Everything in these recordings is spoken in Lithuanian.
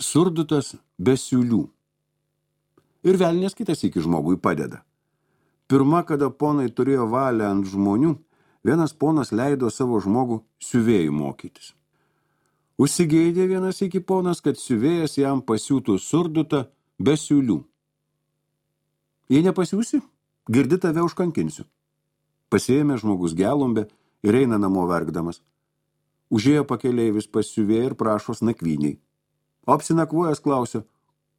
surdutas be siūlių. Ir velnias kitas iki žmogui padeda. Pirma, kada ponai turėjo valią ant žmonių, vienas ponas leido savo žmogų siuvėjų mokytis. Užsigeidė vienas iki ponas, kad siuvėjas jam pasiūtų surdutą be siūlių. Jei nepasiūsi, girdi tave užkankinsiu. Pasiėmė žmogus gelumbę ir eina namo verkdamas. Užėjo pakeleivis pas siuvėją ir prašos nakvyniai. O apsinakvojęs klausė,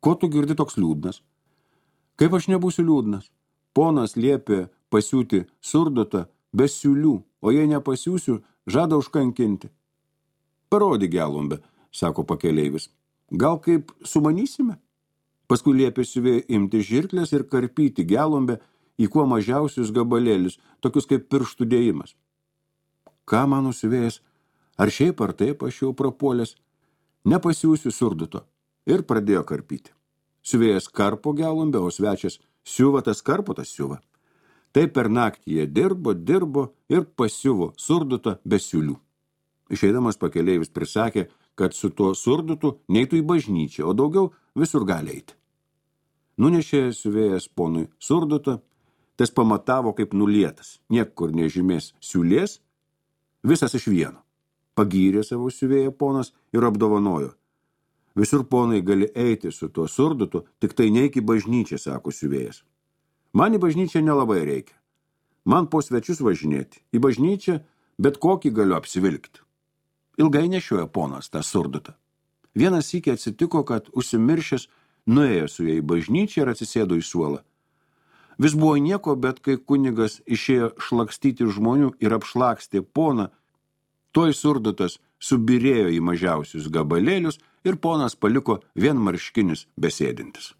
ko tu girdi toks liūdnas? Kaip aš nebūsiu liūdnas? Ponas liepė pasiūti surdutą be siūlių, o jei nepasiūsiu, žada užkankinti. Parodyk gelumbę, sako pakeleivis. Gal kaip sumanysime? Paskui liepė siuvėjui imti žirklės ir karpyti gelumbę į kuo mažiausius gabalėlius, tokius kaip pirštų dėjimas. Ką mano siuvėjas, ar šiaip ar taip aš jau prapuolęs, nepasiūsiu surduto, ir pradėjo karpyti. Siuvėjas karpo gelumbę, o svečias siuva, tas karpo, tas siuva. Taip per naktį jie dirbo ir pasiuvo surdutą be siūlių. Išeidamas pakeleivis prisakė, kad su tuo surdutu neitų į bažnyčią, o daugiau visur gali eiti. Nunešė siuvėjas ponui surdutą, tas pamatavo kaip nulietas, niekur nežymės siūlės, visas iš vieno. Pagyrė savo siuvėją ponas ir apdovanojo. Visur ponai gali eiti su tuo surdutu, tik tai neik į bažnyčią, sako siuvėjas. Man į bažnyčią nelabai reikia. Man po svečius važinėti. Į bažnyčią bet kokį galiu apsivilkti. Ilgai nešiojo ponas tą surdutą. Vienas sykį atsitiko, kad užsimiršęs nuėjo su jai į bažnyčią ir atsisėdo į suolą. Vis buvo nieko, bet kai kunigas išėjo šlakstyti žmonių ir apšlakstė poną, toj surdutas subirėjo į mažiausius gabalėlius ir ponas paliko vienmarškinius besėdintis.